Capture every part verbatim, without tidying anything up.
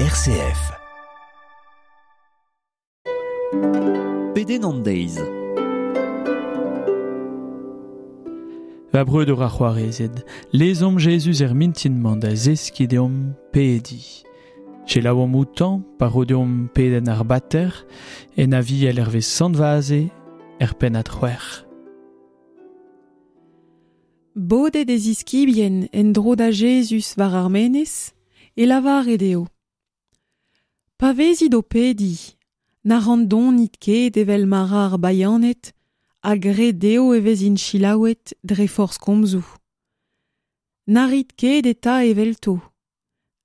R C F. Pedenn an deiz. Va breudeur ar c'hoarezed, lezomp Jezuz er mintin-mañ da zeskiñ deomp pediñ. Selaouomp outañ pa ro deomp pedenn ar bater, en aviel hervez Sant Vaze, er pennad c'hwec'h. Bodet e ziskibien en-dro da Jezuz war ar menez, e lavare dezho. Pa vezit o pediñ, na randonit ket evel ma ra ar bayaned, ha gred dezho e vezint selaouet dre forzh komzoù. Na rit ket eta evelto,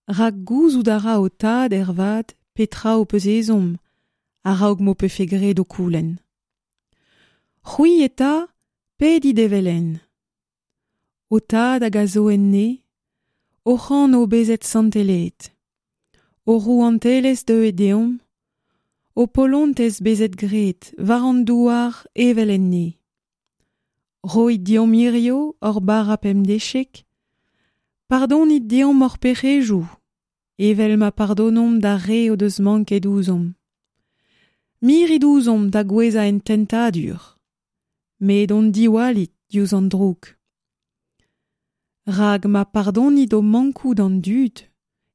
rak gouzout a ra ho tad ervat petra ho peus ezhomm, a-raok m'ho pefe graet ho koulenn. C'hwi eta, pedit evel-henn. Ho tad hag a zo en ne, hoc'h anv bezet santelaet. Ho rouantelezh deuet deomp, ho polontez bezet graet war an douar evel en ne. Roit deomp hirio hor bara pemdeziek, pardonit deomp hor pec'hedoù, evel ma pardonomp d'ar re o deus manket ouzhomp. Mirit ouzhomp da gouezhañ en tentadur, met hon diwallit diouzh an droug. Rak ma pardonit ho mankoù d'an dud,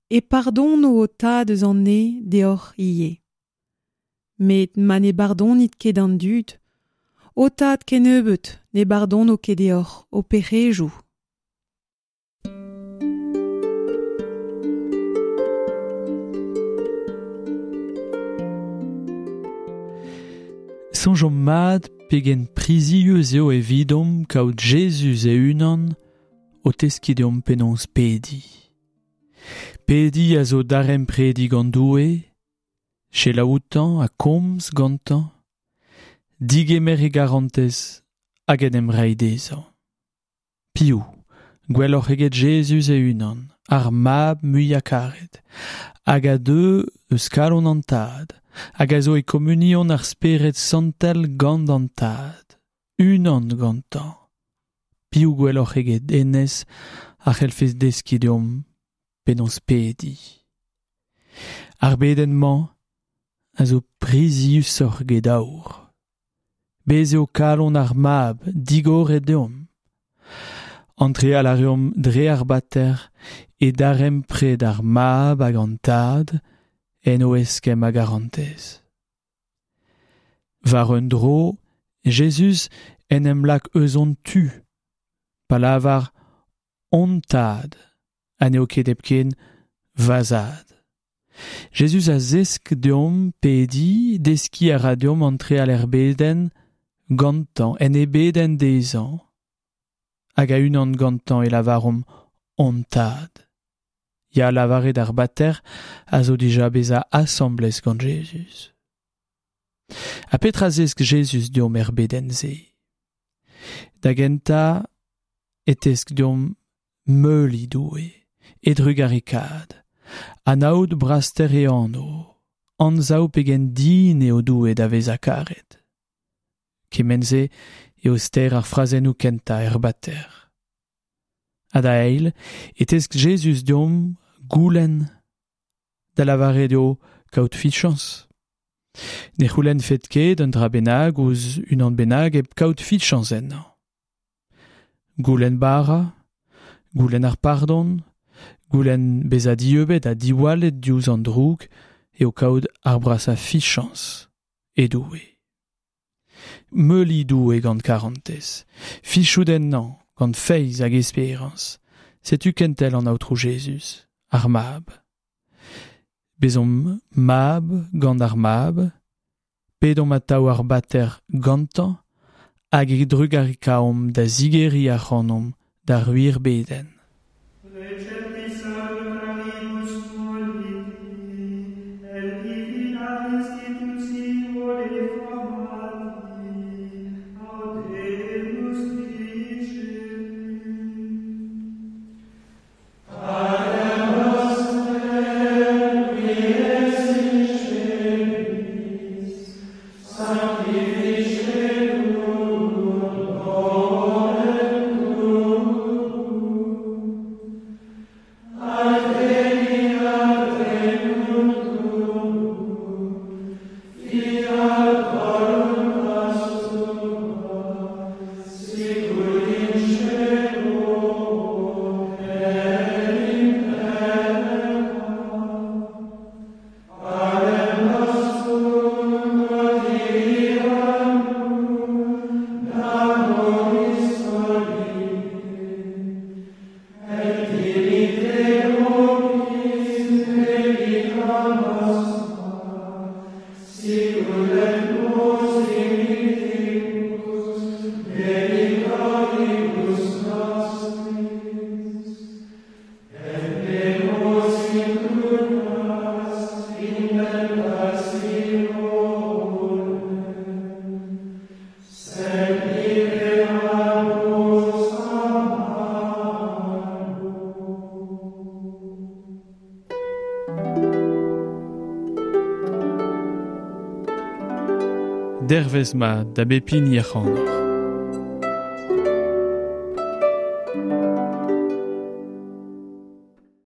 e pardono ho tad eus an neñv deoc'h ivez. Met ma ne bardonit ket d'an dud, ho tad kennebeut ne bardono ket deoc'h ho pec'hedoù. Soñjomp mat pegen prizius eo evidomp kaout Jezuz e-unan o teskiñ deomp penaos pediñ. Pediñ a zo daremprediñ gant Doue, selaou outañ ha komz gantañ, digemer e garantez hag en em reiñ dezhañ. Piv, gwelloc'h eget Jezuz e-unan, ar mab muiañ karet, hag a deu eus kalon an Tad, hag a zo e komunion ar Spered Santel gant an Tad, unan gantañ. Piv gwelloc'h eget hennezh a c'hellfe deskiñ deomp penaos pediñ. Ar bedenn-mañ a zo priziusoc'h eget aour. Bez' eo kalon ar mab digoret deomp. Antreal a reomp dre ar bater e darempred ar mab hag an tad en o eskemm a garantez. War un dro, Jezuz en em lak eus hon tu, pa lavar hon tad, ha n'eo ket hepken va zad. Jezuz a zesk deomp pediñ, deskiñ a ra deomp antreal er bedenn gantañ, en e bedenn dezhañ. Hag a-unan gantañ e lavaromp hon tad. Ya lavaret ar bater a zo dija bezañ asambles gant Jezuz. Ha petra zesk Jezuz deomp er bedenn-se? Da gentañ e tesk deomp meuliñ Doue, e drugarekaat, anaout braster e anv, anzav pegen din eo Doue da vezañ karet. Kement-se eo ster ar frazennoù kentañ er bater. Ha da eil, e tesk Jezuz deomp goulenn, da lavaret eo kaout fichañs. Ne c'houlennfet ket un dra bennak ouzh unan bennak hep kaout fichañs ennañ. Goulenn bara, goulenn ar pardon, goulenn bezañ dieubet ha diwallet diouzh an droug eo kaout ar brasañ fichañs e Doue. Meuliñ Doue gant karantez, fichout ennañ gant feiz hag esperañs. Setu kentel an Aotrou Jezuz, ar mab. Bezomp mab gant ar mab, pedomp atav ar bater gantañ, hag e drugarekaomp da zigeriñ ac'hanomp d'ar wir bedenn. Dervez mat da bep hini ac'hanoc'h.